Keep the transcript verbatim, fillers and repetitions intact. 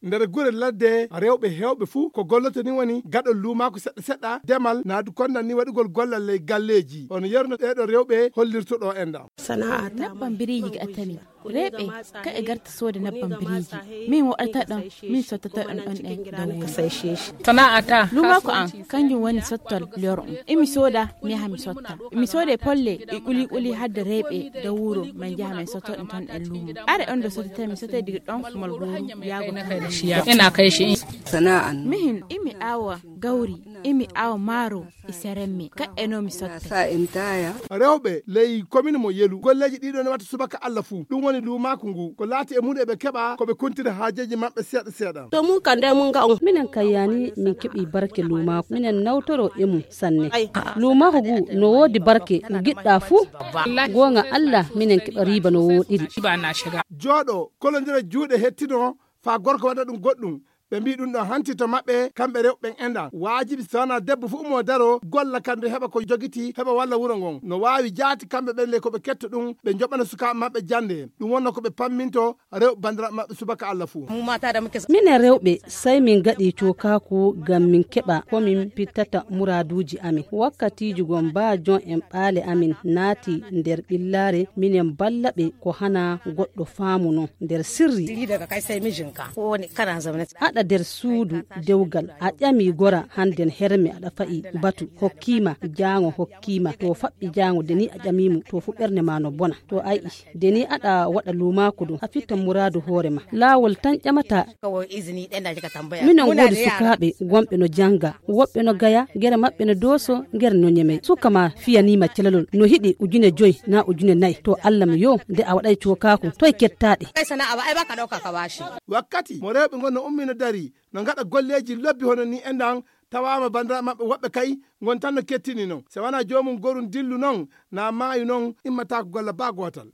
Nder gure ladde, rewɓe heewɓe fuu ko golloto ni woni gaɗol luumaaku seɗɗa seɗɗa, demal, naa du kondan ni waɗugol gollal ley galleeji. Hono yerno ɓeeɗo rewɓe hollirto ɗo enɗan. Sana'a ta. Nebban biriiji ga attani. Reɓe, ka e garta sooda nebban biriiji. Min waɗata ɗon, min sottata ɗon ɗon ɗen da wuro. Sana'a ta. Luumaaku an, kanjum woni sottol loro on. Imi sooda, mi yaha mi sotta. Imi sooda e polle, e kuli kuli hadde reɓe da wuro, min jaha min sotto ɗum ton e luumo. Are on do sottata, mi sottay diga ɗon kumal gooru yaago ton. Ina kai shi. Sana'an. Mihin, imi awa gauri, imi awa maro, e seremme. Ka e no mi sotta. Rewɓe ley komin mo Yelu, golleeji ɗiɗo ne watta subaka Allah fuu. Ɗum woni luumaaku ngu. Ko laati e mum e ɓe keɓa, ko ɓe kuntira haajeeji maɓɓe seeɗa seeɗa. To mun kan dai mun ga on. Minen kayyani min keɓi barke luumaaku. Minen nawtoro e mum sanne. Luumaaku ngu no woodi barke, ngu giɗɗa fuu. Goonga Allah, minen keɓa riiba no wooɗiri. Jooɗo, kolondira juuɗe hettino, faa gorko waɗa ɗum goɗɗum. Ɓe mbii ɗum ɗon hanti to maɓɓe, kamɓe rewɓe ɓen enɗan. Waajibi so wanaa debbo fuu mo daro, golla kam nde heɓa ko jogiti, heɓa walla wuro ngon. No waawi jaati kamɓe ɓen le ko ɓe ketto ɗum, ɓe njoɓana sukaaɓe maɓɓe jannde. Ɗum wonno ko ɓe pamminto rewɓe banndiraaɓe maɓɓe subaka Allah fuu. Minen rewɓe, sey min ngaɗi cookaaku ngam min keɓa ko min pittata muraaduuji amin. Wakkatiiji gom baa jon en ɓaale amin naati nder ɓillaare, minen balla ɓe ko hana goɗɗo faamu non nder sirri. Aɗa nder suudu dewgal, a ƴami gora handen herme aɗa fa'i batu, hokkiima jaango, hokkiima to faɓɓi jaango, de ni a ƴamiimo, to fu ɓernde ma no bona. To a yi'i, de ni aɗa waɗa luumaaku ɗum, a fitta muraadu hoore ma. Laawol tan ƴamata. Minon woodi sukaaɓe wonɓe no jannga, woɓɓe no gaya, gere maɓɓe no dooso, gere no ñeme. Suka ma fiyaniima celalol, no hiɗi ujune joy naa ujune nay. To Allah mi yo, nde a waɗay cookaaku, toy kettaaɗe? Wakkati mo rewɓe ngon no ummi no dari, no ngaɗa golleeji lobbi hono ni enɗan, tawaama banndiraaɓe maɓɓe woɓɓe kay ngon tan no kettini non. Se wanaa joomum gorum dillu non, naa maayu non, immataako golla baa gootal.